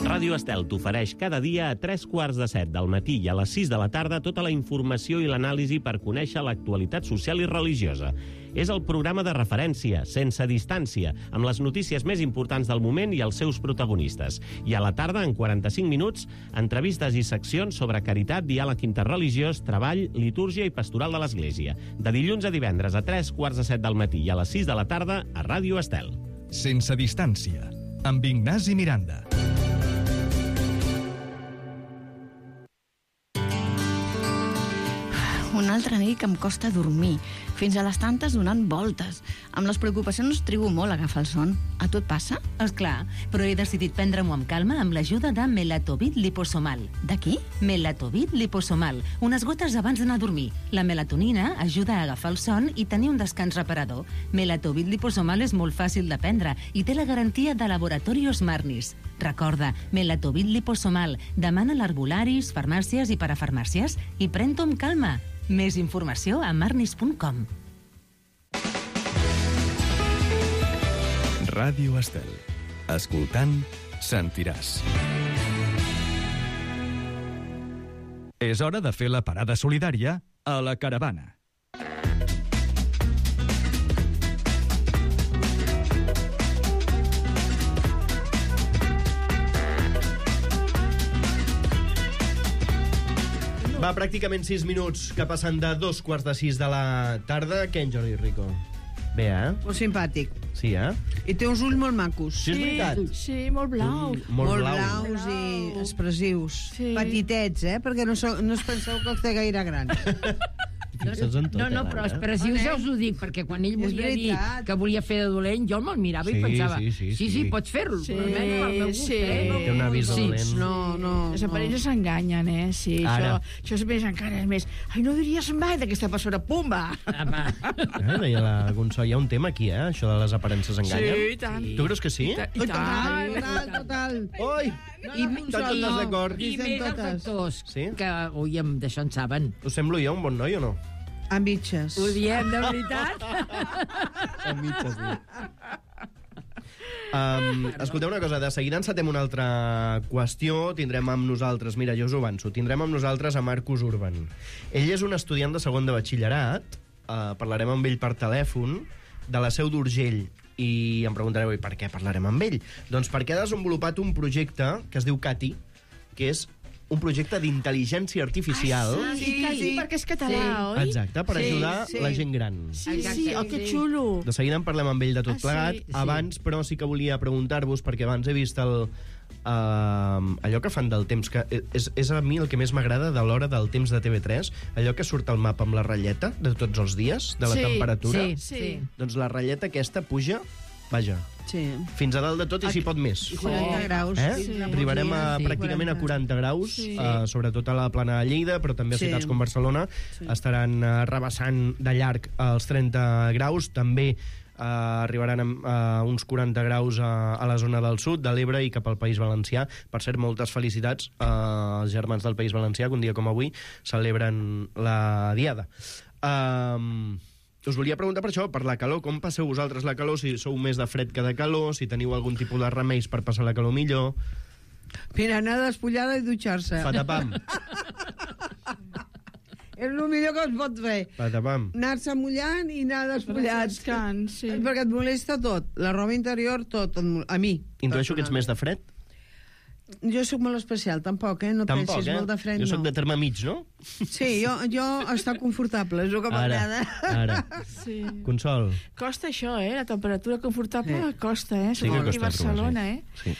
Ràdio Estel t'ofereix cada dia a 3:15 del matí i a les 6 de la tarda tota la informació i l'anàlisi per conèixer l'actualitat social i religiosa. És el programa de referència, sense distància, amb les notícies més importants del moment i els seus protagonistes. I a la tarda, en 45 minuts, entrevistes i seccions sobre caritat, diàleg interreligiós, treball, litúrgia i pastoral de l'Església. De dilluns a divendres a 3:15 del matí i a les 6 de la tarda a Ràdio Estel. Sense distància, amb Ignasi Miranda. Una altra nit que em costa dormir, fins a les tantes donant voltes. Amb les preocupacions trigo molt a agafar el son. A tu et passa? Esclar, però he decidit prendre-m'ho amb calma amb l'ajuda de Melatovit liposomal. De qui? Melatovit liposomal, unes gotes abans d'anar a dormir. La melatonina ajuda a agafar el son i tenir un descans reparador. Melatovit liposomal és molt fàcil de prendre i té la garantia de Laboratorios Marnis. Recorda, Melatovit liposomal. Demana a l'herbolaris, farmàcies i parafarmàcies i pren-t'ho amb calma. Més informació a marnis.com. Ràdio Estel. Escoltant, sentiràs. És hora de fer la parada solidària a la caravana. Va, pràcticament 6 minuts que passen de 2:15 de la tarda. Què, en Jordi Rico? Bé, eh? Molt simpàtic. Sí, eh? I té uns ulls molt macos. Sí, és veritat. Sí, molt blaus. Molt blaus i expressius. Sí. Petitets, perquè no us penseu que els té gaire grans. Fixa't en tot, No, però expressius ja us ho dic, perquè quan ell volia dir veritat. que volia fer de dolent, jo me'l mirava i Sí, pensava, sí. pots fer-lo, Sí, però almenys al meu gust, sí. Té una vista dolent. No. Les aparences s'enganyen, Sí, Ara. això és més encara, és més... Ai, no diries mai d'aquesta persona, pumba! Deia la Gonçó, hi ha un tema aquí, això de les aparences enganyen. Sí, i tant. Tu creus que sí? I tant. Total. Oi! Tots en desacord. I Dicen més els totes. actors, Sí? que oiem, d'això en saben. Us semblo jo un bon noi o no? Amb bitxes. Ho diem, de veritat? A mitges, sí. Escolteu una cosa, de seguida encetem una altra qüestió. Tindrem amb nosaltres, mira, jo us ho avanço, tindrem amb nosaltres a Marcus Urban. Ell és un estudiant de segon de batxillerat parlarem amb ell per telèfon de la Seu d'Urgell. I em preguntareu, i per què parlarem amb ell? Doncs perquè ha desenvolupat un projecte que es diu CATI, que és un projecte d'intel·ligència artificial. Sí, perquè és català, oi? Exacte, per ajudar la gent gran. Sí, que xulo. De seguida en parlem amb ell de tot plegat. Abans, però, sí que volia preguntar-vos, perquè abans he vist allò que fan del temps, que és a mi el que més m'agrada de l'hora del temps de TV3, allò que surt al mapa amb la ratlleta de tots els dies, de la temperatura. Sí. Doncs la ratlleta aquesta puja, vaja, fins a dalt de tot i si pot més. 40 graus. Arribarem pràcticament a 40 graus, sobretot a la plana de Lleida, però també a ciutats com Barcelona estaran rebassant de llarg els 30 graus. També arribaran a uns 40 graus a la zona del sud, de l'Ebre i cap al País Valencià. Per cert, moltes felicitats als germans del País Valencià, que un dia com avui celebren la Diada. Us volia preguntar per això, per la calor. Com passeu vosaltres la calor? Si sou més de fred que de calor, si teniu algun tipus de remeis per passar la calor millor. Mira, anar despullada i dutxar-se. Patapam. És el millor que es pot fer. Patapam. Anar-se mullant i anar despullat. Perquè et molesta tot. La roba interior, tot. A mi. Intueixo que ets més de fred? Jo sóc molt especial, tampoc, No pensis molt de fred, no. Jo sóc de terme mig, no? Sí, jo està confortable, és el que m'agrada. Ara. Consol. Costa això, la temperatura confortable costa, Sí que costa Barcelona, sí.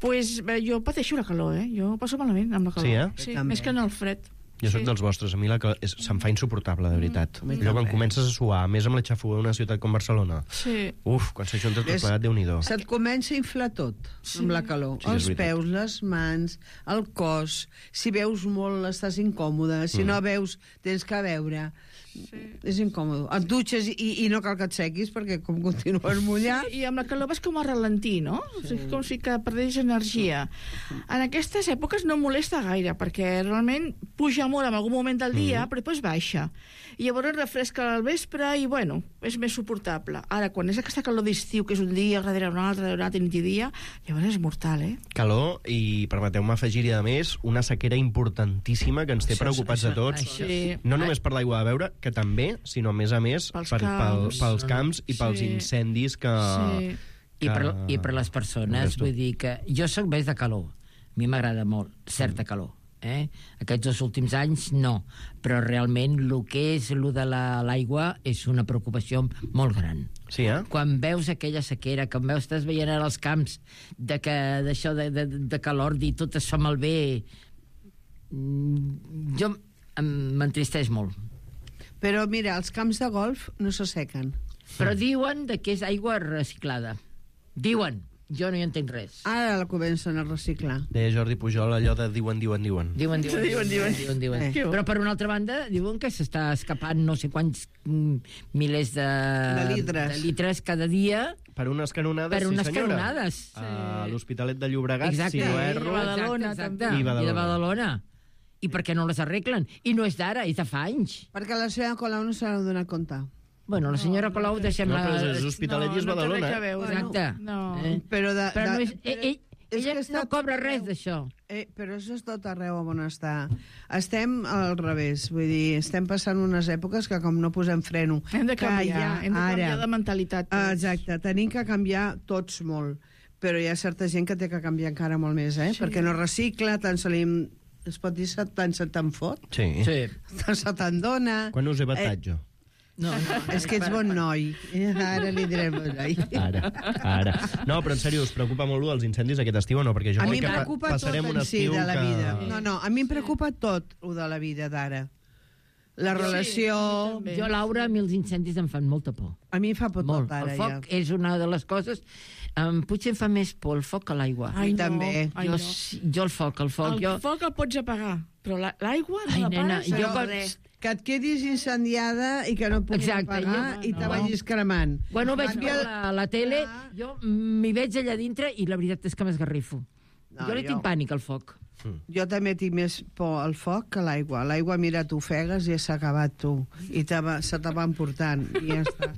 Pues jo pateixo la calor, Jo passo malament amb la calor. Sí, més que en el fred. Jo sóc dels vostres, a mi se'm fa insuportable, de veritat. Allò quan comences a suar, més amb la xafogor d'una ciutat com Barcelona. Uf, quan s'ajunta tot plegat, Déu-n'hi-do. Se't comença a inflar tot, amb la calor. Els peus, les mans, el cos. Si veus molt, estàs incòmode. Si no veus, tens que veure. És incòmode. Et dutxes i no cal que et sequis, perquè com continues mullat... I amb la calor vas com a ralentí, no? Com si que perdés energia. En aquestes èpoques no molesta gaire, perquè realment puja molt en algun moment del dia, però després baixa. I llavors refresca al vespre i, bueno, és més suportable. Ara, quan és aquesta calor d'estiu, que és un dia darrere un altre, nit i dia, llavors és mortal, Calor i, permeteu-me afegir-hi, a més, una sequera importantíssima que ens té preocupats a tots. No només per l'aigua de beure, que també, sinó a més pels camps i pels incendis que... I per les persones, vull dir que jo sóc més de calor. A mi m'agrada molt, certa calor. Aquests 2 últims anys no, però realment el que és el de l'aigua és una preocupació molt gran. Sí, Quan veus aquella sequera, quan estàs veient ara els camps d'això de calor, dir tot es fa malbé, jo m'entristeix molt. Però mira, els camps de golf no s'assequen. Però diuen que és aigua reciclada. Diuen. Jo no hi entenc res. Ara la comencen a reciclar. Deia Jordi Pujol allò de diuen. Diuen. Però per una altra banda, diuen que s'està escapant no sé quants milers de litres cada dia. Per unes canonades, canonades. A l'Hospitalet de Llobregat, si no erro. I de Badalona. I per què no les arreglen? I no és d'ara, és de fa anys. Perquè la senyora Colau no se n'ha donat compte. Bueno, la senyora Colau deixem-la... No, però és Hospitalet i és Badalona. Exacte. Però ella no cobra res d'això. Però això és tot arreu on està. Estem al revés, vull dir, estem passant unes èpoques que com no posem freno... Hem de canviar de mentalitat. Exacte, tenim que canviar tots molt. Però hi ha certa gent que té que canviar encara molt més, perquè no recicla, tant se li... Es pot dir tant se te'n fot? Sí. Tant se te'n dona... Quan us he batat, jo? No, és que ets bon noi. Ara li direm bon noi. Ara. No, però en sèrio, us preocupa molt els incendis aquest estiu o no? Perquè jo crec que passarem un estiu de la vida. No, a mi em preocupa tot el de la vida d'ara. La relació... Jo, Laura, a mi els incendis em fan molta por. A mi em fa por tot ara, ja. El foc és una de les coses... potser em fa més por el foc que l'aigua. Ai, també. Jo el foc... El foc el pots apagar, però l'aigua no la pares. Que et quedis incendiada i que no puguis apagar i te vagis cremant. Quan ho veig per la tele, jo m'hi veig allà dintre i la veritat és que m'esgarrifo. Jo li tinc pànic al foc. Jo també tinc més por al foc que a l'aigua. L'aigua, mira, t'ofegues i s'ha acabat tu. I se te va emportant. I ja està.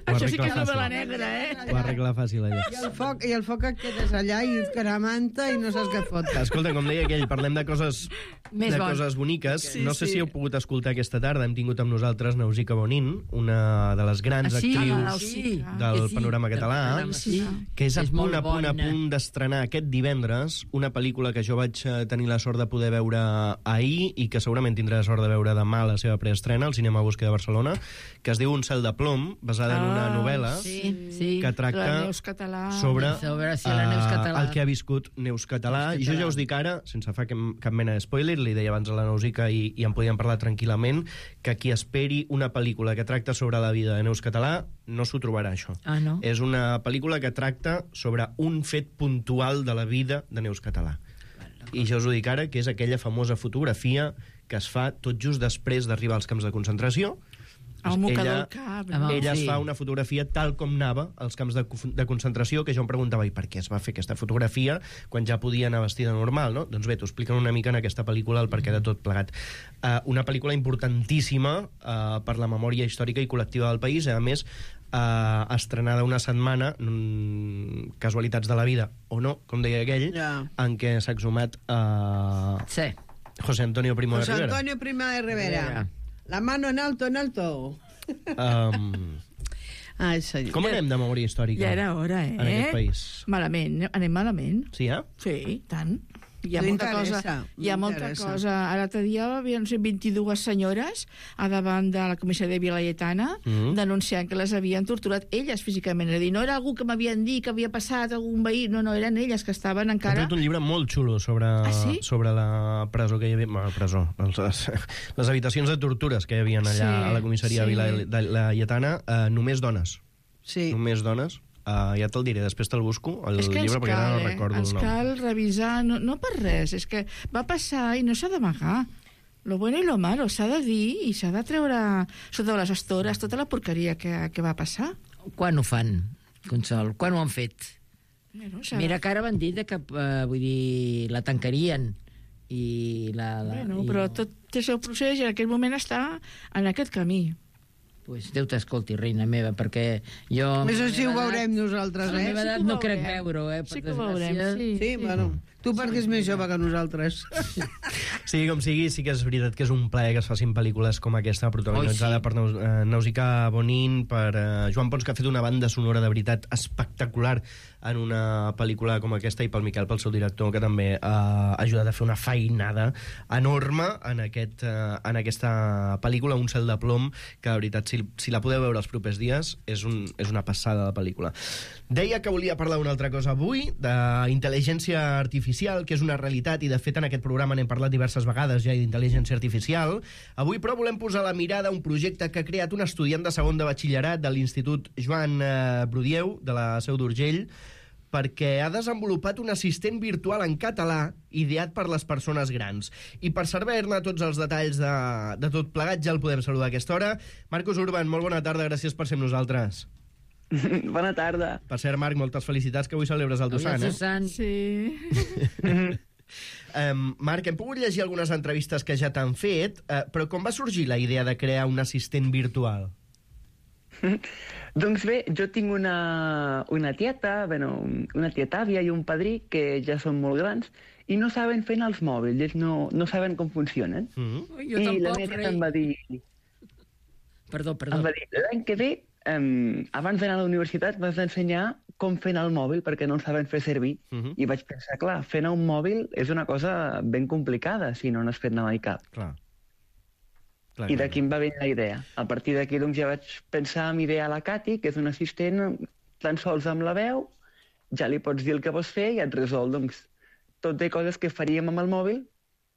Això sí que és novel·la negra, Ho arregla fàcil, allà. I el foc et quedes allà i et caramanta i no saps què fot. Escolta, com deia aquell, parlem de coses Més bon. coses boniques. Sí, no sé sí. si heu pogut escoltar aquesta tarda. Hem tingut amb nosaltres Nausica Bonin, una de les grans actrius del panorama català, que és a punt d'estrenar aquest divendres una pel·lícula que jo vaig tenir la sort de poder veure ahir i que segurament tindré la sort de veure demà la seva preestrena al Cinema Bosque de Barcelona, que es diu Un cel de plom, basada en una novel·la que tracta La Neus Català. sobre la Neus Català. el que ha viscut Neus Català. I jo ja us dic ara, sense fer cap mena de spoiler, li deia abans a la Nausica i en podíem parlar tranquil·lament, que qui esperi una pel·lícula que tracta sobre la vida de Neus Català no s'ho trobarà, això. Ah, no? És una pel·lícula que tracta sobre un fet puntual de la vida de Neus Català. I jo us ho dic ara, que és aquella famosa fotografia que es fa tot just després d'arribar als camps de concentració. El mocador al cap. Ella es fa una fotografia tal com anava als camps de concentració, que jo em preguntava, i per què es va fer aquesta fotografia quan ja podia anar vestida normal, no? Doncs bé, t'ho expliquen una mica en aquesta pel·lícula el perquè de tot plegat. Una pel·lícula importantíssima per la memòria històrica i col·lectiva del país, a més, estrenada una setmana, casualitats de la vida, o no, com deia aquell, en què s'ha exhumat José Antonio Primo de Rivera. José Antonio Primo de Rivera. La mano en alto, en alto. Com anem de memòria històrica? Ja era hora, en aquest país? Malament, anem malament. Sí, Sí, tant. Hi ha molta cosa. A l'altre dia havien 22 senyores a davant de la comissaria de Vila Laietana denunciant que les havien torturat elles físicament. És a dir, no era algú que m'havien dit que havia passat algun veí, no, eren elles que estaven encara... He tret un llibre molt xulo sobre la presó que hi havia... Presó. Les habitacions de tortures que hi havia allà a la comissaria de Vila Laietana. Només dones. Sí. Només dones. Ja te'l diré, després te'l busco, el llibre, perquè ara no recordo el nom. Ens cal revisar, no per res, és que va passar i no s'ha d'amagar. Lo bueno i lo malo, s'ha de dir i s'ha de treure sota les estores tota la porqueria que va passar. Quan ho fan, Consol? Quan ho han fet? Mira que ara van dir que vull dir, la tancarien però tot té el seu procés i en aquell moment està en aquest camí. Pues Déu t'escolti, reina meva, perquè jo... Això sí ho veurem nosaltres, A la meva edat no crec veure-ho, Sí que ho veurem, sí. Bueno, tu perquè és més jove que nosaltres. Sí, com sigui, sí que és veritat que és un plaer que es facin pel·lícules com aquesta, protagonitzada per Nausica Bonin, per Joan Pons, que ha fet una banda sonora de veritat espectacular en una pel·lícula com aquesta, i pel Miquel, pel seu director, que també ha ajudat a fer una feinada enorme en aquesta pel·lícula, Un cel de plom, que de veritat, si la podeu veure els propers dies, és una passada de pel·lícula. Deia que volia parlar d'una altra cosa avui, d'intel·ligència artificial, que és una realitat, i de fet en aquest programa n'hem parlat diverses vegades ja d'intel·ligència artificial. Avui, però, volem posar la mirada a un projecte que ha creat un estudiant de segon de batxillerat de l'Institut Joan Brudieu, de la Seu d'Urgell, perquè ha desenvolupat un assistent virtual en català ideat per les persones grans. I per saber-ne tots els detalls de tot plegat, ja el podem saludar a aquesta hora. Marcos Urban, molt bona tarda, gràcies per ser amb nosaltres. Bona tarda. Per cert, Marc, moltes felicitats, que avui celebres el teu sant, Sí. Marc, hem pogut llegir algunes entrevistes que ja t'han fet, però com va sorgir la idea de crear un assistent virtual? Doncs bé, jo tinc una tieta, una tieta-àvia i un padrí que ja són molt grans i no saben fer els mòbils, ells no saben com funcionen. Jo I tampoc, la meva tieta em va dir... Perdó. Em va dir, l'any que ve, abans d'anar a la universitat, m'has d'ensenyar com fer el mòbil, perquè no el saben fer servir. I vaig pensar, clar, fer un mòbil és una cosa ben complicada si no n'has fet mai cap. Clar. I d'aquí em va venir la idea. A partir d'aquí doncs, ja vaig pensar en idear la Cati, que és un assistent tan sols amb la veu, ja li pots dir el que vols fer i et resol tot de coses que faríem amb el mòbil,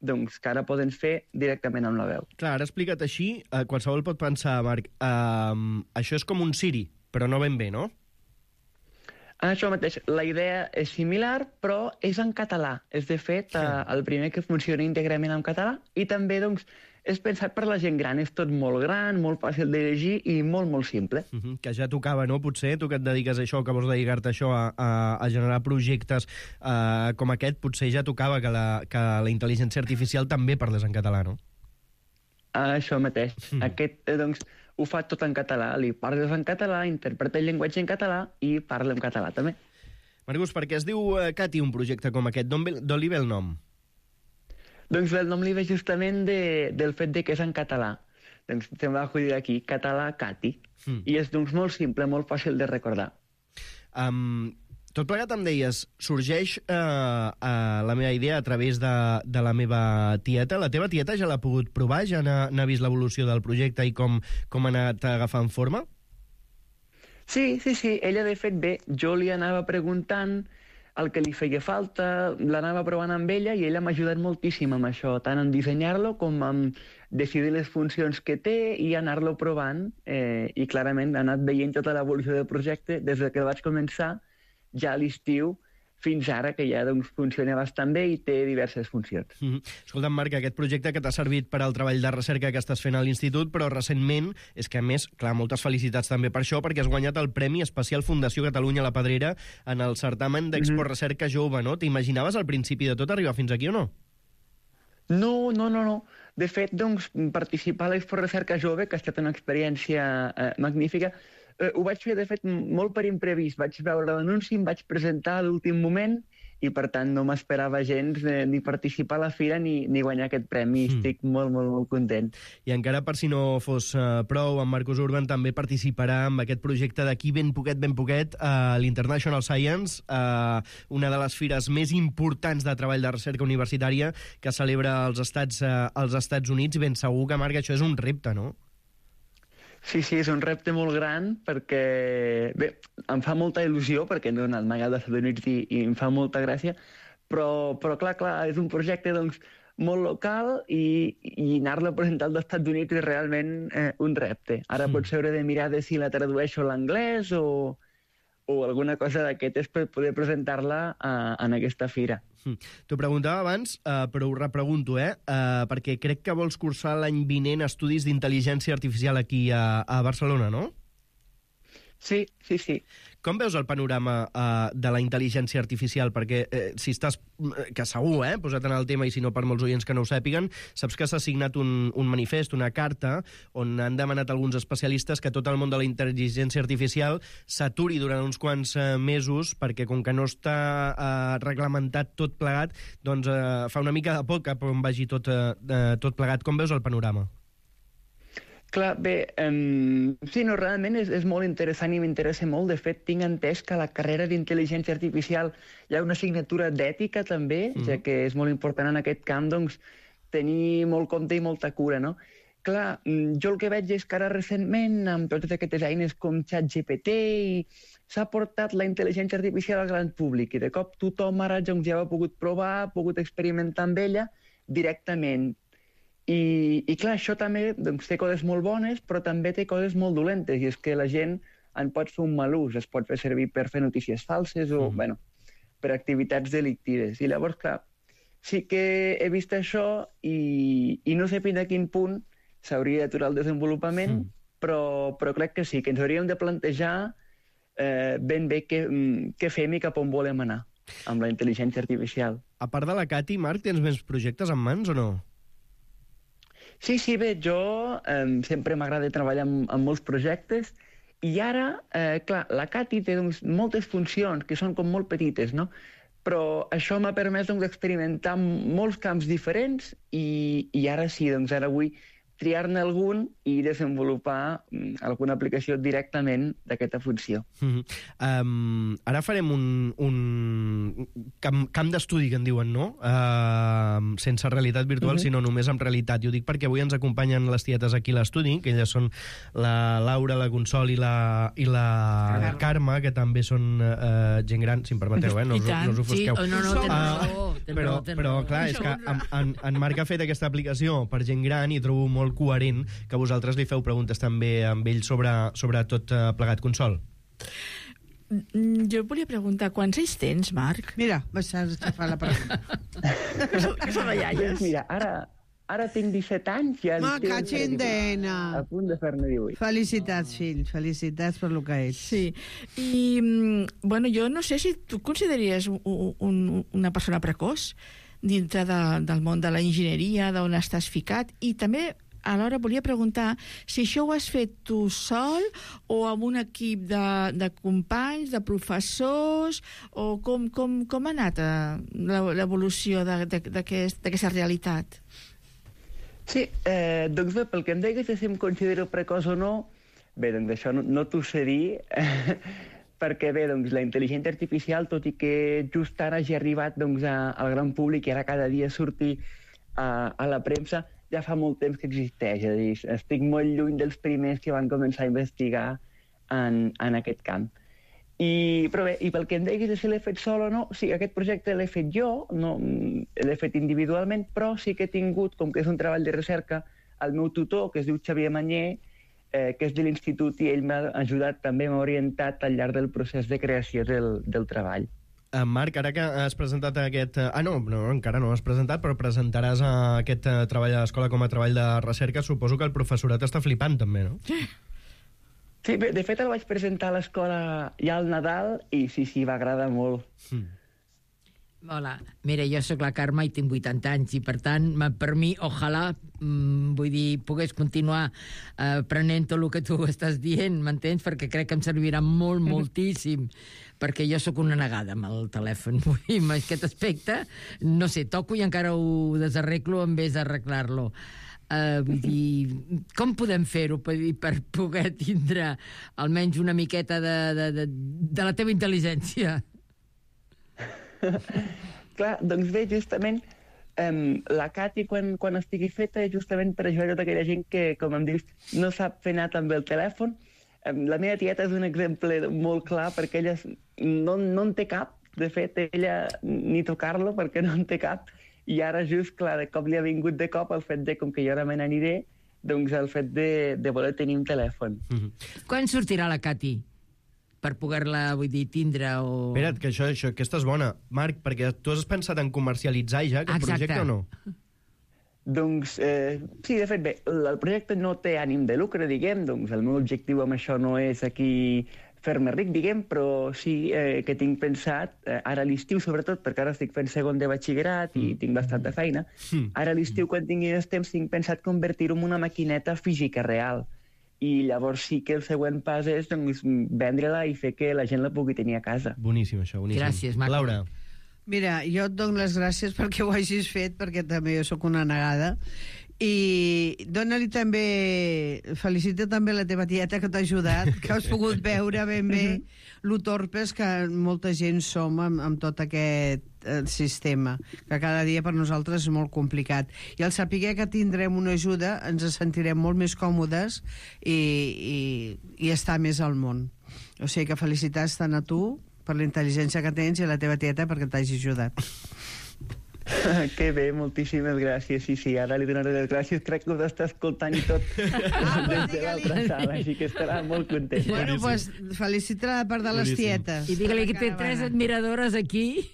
doncs que ara poden fer directament amb la veu. Clar, ara explica't així, qualsevol pot pensar, Marc, això és com un Siri, però no ben bé, no? Això mateix, la idea és similar, però és en català. És, de fet, el primer que funciona íntegrament en català, i també, doncs, és pensat per la gent gran. És tot molt gran, molt fàcil de llegir i molt, molt simple. Que ja tocava, no? Potser, tu que et dediques a això, que vols dedicar-te a això, a generar projectes com aquest, potser ja tocava que la intel·ligència artificial també parlés en català, no? Això mateix. Aquest, doncs, ho fa tot en català. Li parles en català, interpreta el llenguatge en català i parla en català també. Marcus, per què es diu Cati un projecte com aquest? D'on li ve el nom? Doncs el nom li ve justament del fet de que és en català. Doncs se'm va acudir aquí, català Cati. I és doncs molt simple, molt fàcil de recordar. Tot plegat em deies, sorgeix la meva idea a través de la meva tieta. La teva tieta ja l'ha pogut provar? Ja n'ha vist l'evolució del projecte i com ha anat agafant forma? Sí. Ella, de fet, bé, jo li anava preguntant el que li feia falta, l'anava provant amb ella i ella m'ha ajudat moltíssim amb això, tant en dissenyar-lo com en decidir les funcions que té i anar-lo provant. I clarament ha anat veient tota l'evolució del projecte des que el vaig començar ja a l'estiu fins ara, que ja doncs, funciona bastant bé i té diverses funcions. Escolta'm, Marc, aquest projecte que t'ha servit per al treball de recerca que estàs fent a l'Institut, però recentment, és que a més, clar, moltes felicitats també per això, perquè has guanyat el Premi Especial Fundació Catalunya La Pedrera en el certamen d'Expo Recerca Jove, no? T'imaginaves al principi de tot arribar fins aquí o no? No. De fet, doncs, participar a l'Expo Recerca Jove, que ha estat una experiència magnífica, ho vaig fer, de fet, molt per imprevist. Vaig veure l'anunci, em vaig presentar a l'últim moment i, per tant, no m'esperava gens ni participar a la fira ni guanyar aquest premi. Estic molt content. I encara, per si no fos prou, en Marcus Urban també participarà en aquest projecte d'aquí ben poquet a l'International Science, una de les fires més importants de treball de recerca universitària que celebra als Estats Units. Ben segur que, Marc, això és un repte, no? Sí, és un repte molt gran perquè, bé, em fa molta il·lusió perquè no he anat mai als Estats Units i em fa molta gràcia, però clar, és un projecte doncs, molt local i anar-lo a presentar als Estats Units és realment un repte. Ara potser hauré de mirar si la tradueixo a l'anglès o alguna cosa d'aquestes per poder presentar-la en aquesta fira. T'ho preguntava abans, però ho repregunto, perquè crec que vols cursar l'any vinent estudis d'intel·ligència artificial aquí a Barcelona, no? Sí. Com veus el panorama de la intel·ligència artificial? Perquè si estàs, que segur, posat en el tema, i si no per molts oients que no ho sàpiguen, saps que s'ha signat un manifest, una carta, on han demanat alguns especialistes que tot el món de la intel·ligència artificial s'aturi durant uns quants mesos, perquè com que no està reglamentat tot plegat, doncs fa una mica de por cap on vagi tot plegat. Com veus el panorama? Clar, bé, sí, no, realment és molt interessant i m'interessa molt. De fet, tinc entès que a la carrera d'intel·ligència artificial hi ha una assignatura d'ètica també, ja que és molt important en aquest camp, doncs, tenir molt compte i molta cura, no? Clar, jo el que veig és que ara recentment, amb totes aquestes eines com ChatGPT, s'ha portat la intel·ligència artificial al gran públic i de cop tothom ara ja ha pogut provar, ha pogut experimentar amb ella directament. I clar, això també doncs, té coses molt bones, però també té coses molt dolentes, i és que la gent en pot fer un mal ús, es pot fer servir per fer notícies falses o, bueno, per activitats delictives. I llavors, clar, sí que he vist això i no sé fins a quin punt s'hauria d'aturar el desenvolupament, però crec que sí, que ens hauríem de plantejar ben bé què fem i cap on volem anar amb la intel·ligència artificial. A part de la Cati, Marc, tens més projectes en mans o no? Sí, bé, jo sempre m'agrada treballar en molts projectes i ara, clar, la Cati té doncs, moltes funcions que són com molt petites, no? Però això m'ha permès doncs, experimentar molts camps diferents i ara sí, doncs ara vull triar-ne algun i desenvolupar alguna aplicació directament d'aquesta funció. Ara farem un camp d'estudi, que en diuen, no? Sense realitat virtual, sinó només amb realitat. I ho dic perquè avui ens acompanyen les tietes aquí a l'estudi, que elles són la Laura, la Consol i la Carme, que també són gent gran, si em permeteu, no us ofusqueu. Però clar, és que en Marc ha fet aquesta aplicació per gent gran i trobo molt coherent que vosaltres li feu preguntes també amb ell sobre tot plegat. Consol. Jo volia preguntar, quants anys tens, Marc? Mira, vas a aixafar la pregunta. Que són de iaies. Mira, ara tinc 17 anys i Ma cachindena! A punt de fer-ne 18. Felicitats, fill, felicitats per lo que ets. Sí, i, bueno, jo no sé si tu consideraries una persona precoç dintre del món de la enginyeria, d'on estàs ficat, i també alhora volia preguntar si això ho has fet tu sol o amb un equip de companys, de professors, o com ha anat l'evolució d'aquesta realitat? Sí, doncs bé, pel que em deies de si em considero precoç o no, bé, doncs això no t'ho sé dir, perquè bé, doncs la intel·ligència artificial, tot i que just ara hagi arribat al gran públic i ara cada dia surti a la premsa, ja fa molt temps que existeix. És a dir, estic molt lluny dels primers que van començar a investigar en aquest camp. Però bé, i pel que em deies de si l'he fet sol o no, sí, aquest projecte l'he fet jo, no l'he fet individualment, però sí que he tingut, com que és un treball de recerca, el meu tutor, que es diu Xavier Manyer, que és de l'institut, i ell m'ha ajudat, també m'ha orientat al llarg del procés de creació del treball. Marc, ara que has presentat aquest... no, encara no has presentat, però presentaràs aquest treball a l'escola com a treball de recerca. Suposo que el professorat està flipant, també, no? Sí, bé, de fet el vaig presentar a l'escola ja al Nadal i sí, va agradar molt. Hola, mira, jo sóc la Carme i tinc 80 anys i, per tant, per mi, ojalà, vull dir, pogués continuar aprenent tot el que tu estàs dient, m'entens? Perquè crec que em servirà moltíssim, perquè jo sóc una negada amb el telèfon. Vull dir, en aquest aspecte, no sé, toco i encara ho desarreglo en vez d'arreglar-lo. Vull dir, com podem fer-ho per poder tindre almenys una miqueta de la teva intel·ligència? Clar, doncs bé, justament la Cati, quan estigui feta, justament per ajudar tota aquella gent que, com em dius, no sap fer anar també el telèfon. La meva tieta és un exemple molt clar, perquè ella no en té cap, de fet, ella ni tocar-lo perquè no en té cap, i ara just, clar, de cop li ha vingut de cop el fet de, com que jo ara me n'aniré, doncs el fet de voler tenir un telèfon. Quan sortirà la Cati? Per poder-la, vull dir, tindre o... Espera't, que aquesta és bona. Marc, perquè tu has pensat en comercialitzar ja aquest projecte o no? Doncs, sí, de fet, bé, el projecte no té ànim de lucre, diguem, doncs el meu objectiu amb això no és aquí fer-me ric, diguem, però sí que tinc pensat, ara a l'estiu sobretot, perquè ara estic fent segon de batxillerat i tinc bastanta feina, ara a l'estiu, quan tingui més temps, tinc pensat convertir-ho en una maquineta física real. I llavors sí que el següent pas és vendre-la i fer que la gent la pugui tenir a casa. Boníssim, això, boníssim. Gràcies, Marc. Laura. Mira, jo et dono les gràcies perquè ho hagis fet, perquè també jo sóc una negada. I dona-li també... Felicita també la teva tieta que t'ha ajudat, que has pogut veure ben bé lo torpes que molta gent som amb tot aquest sistema, que cada dia per nosaltres és molt complicat. I al saber que tindrem una ajuda ens sentirem molt més còmodes i estar més al món. O sigui que felicitats tant a tu per la intel·ligència que tens i a la teva tieta perquè t'hagi ajudat. Que bé, moltíssimes gràcies. Sí, ara li donaré les gràcies. Crec que us està escoltant i tot des de l'altra sala, així que estarà molt content. Bueno, doncs felicita la part de les tietes. I digue-li que té 3 admiradores aquí.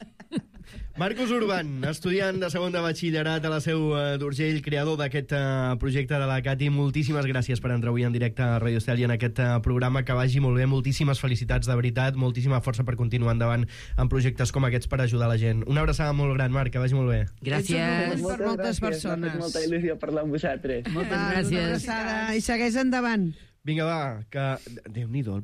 Marcos Urban, estudiant de segon de batxillerat a la Seu d'Urgell, creador d'aquest projecte de la Cati. Moltíssimes gràcies per entrar avui en directe a Radio Estel i en aquest programa. Que vagi molt bé, moltíssimes felicitats, de veritat, moltíssima força per continuar endavant en projectes com aquests per ajudar la gent. Una abraçada molt gran, Marc, que vagi molt bé. Gràcies. Per moltes persones. Molta il·lusió parlar amb vosaltres. Moltes gràcies. I segueix endavant. Vinga, va, que... Déu-n'hi-do,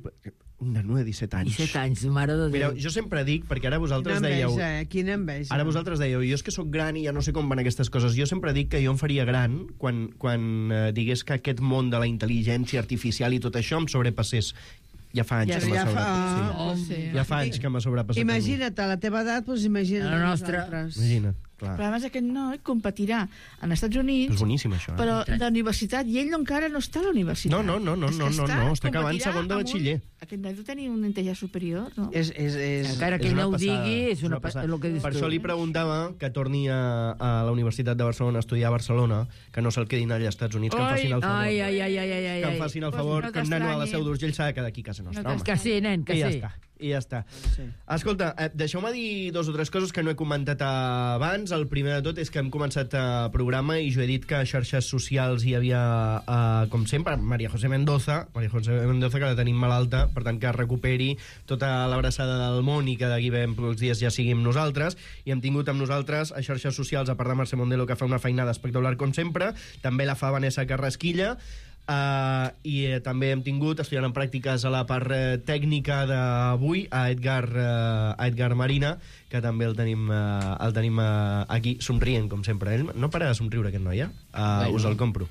un nano de 17 anys. 17 anys, mare de Déu. Mireu, jo sempre dic, perquè ara vosaltres dèieu... Quina enveja. Ara vosaltres dèieu, jo és que sóc gran i ja no sé com van aquestes coses. Jo sempre dic que jo em faria gran quan digués que aquest món de la intel·ligència artificial i tot això em sobrepassés. Ja fa anys que m'ha sobrepassat. Ja fa anys que m'ha sobrepassat. Imagina't, a la teva edat, doncs imagina't la nostra. Imagina't. Clar. Però a més aquest noi competirà als Estats Units, és boníssim, això, però d'universitat, i ell encara no està a la universitat. No, està acabant segon de batxiller. Aquest noi deu tenir una intel·ligència superior, no? Encara que ell no ho digui, és una passada. Per això li preguntava que torni a la Universitat de Barcelona a estudiar a Barcelona, que no se'l quedin allà als Estats Units, que em facin el favor. Que em facin el favor, que un nano a la Seu d'Urgell s'ha de quedar aquí a casa nostra. Que sí, nen, que sí. I ja està. Escolta, deixeu-me dir 2 o 3 coses que no he comentat abans. El primer de tot és que hem començat el programa i jo he dit que a xarxes socials hi havia, com sempre, María José Mendoza, que la tenim malalta, per tant que recuperi tota l'abraçada del món i que d'aquí ben pocs dies ja sigui amb nosaltres. I hem tingut amb nosaltres a xarxes socials, a part de Mercè Mondelo, que fa una feinada espectacular com sempre, també la fa Vanessa Carrasquilla, i també hem tingut, estudiant en pràctiques a la part tècnica d'avui, a Edgar Marina, que també el tenim aquí somrient, com sempre. Ell no para de somriure, aquest noi, us el compro.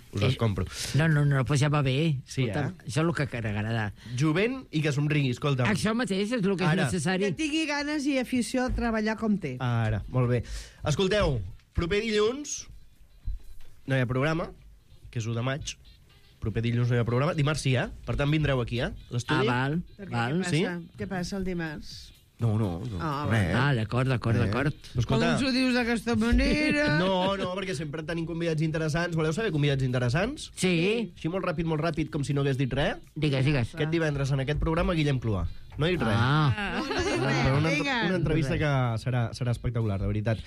No, pues ja va bé. Sí, Escolta, això és el que agrada. Jovent i que somrigui, escolta. Això mateix és el que és necessari. Que tingui ganes i afició a treballar com té. Ara, molt bé. Escolteu, proper dilluns no hi ha programa, que és 1 de maig. Proper dilluns no hi ha programa. Dimarts sí, Per tant, vindreu aquí, l'estudi. Val. Sí? Què passa el dimarts? No. D'acord. Com ens ho dius d'aquesta manera? No, perquè sempre tenim convidats interessants. Voleu saber convidats interessants? Sí. Així molt ràpid, com si no hagués dit res. Digues. Aquest divendres en aquest programa, Guillem Cluà. No he dit res. Una entrevista que serà espectacular, de veritat.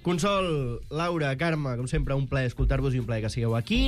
Consol, Laura, Carme, com sempre, un plaer escoltar-vos i un plaer que sigueu aquí.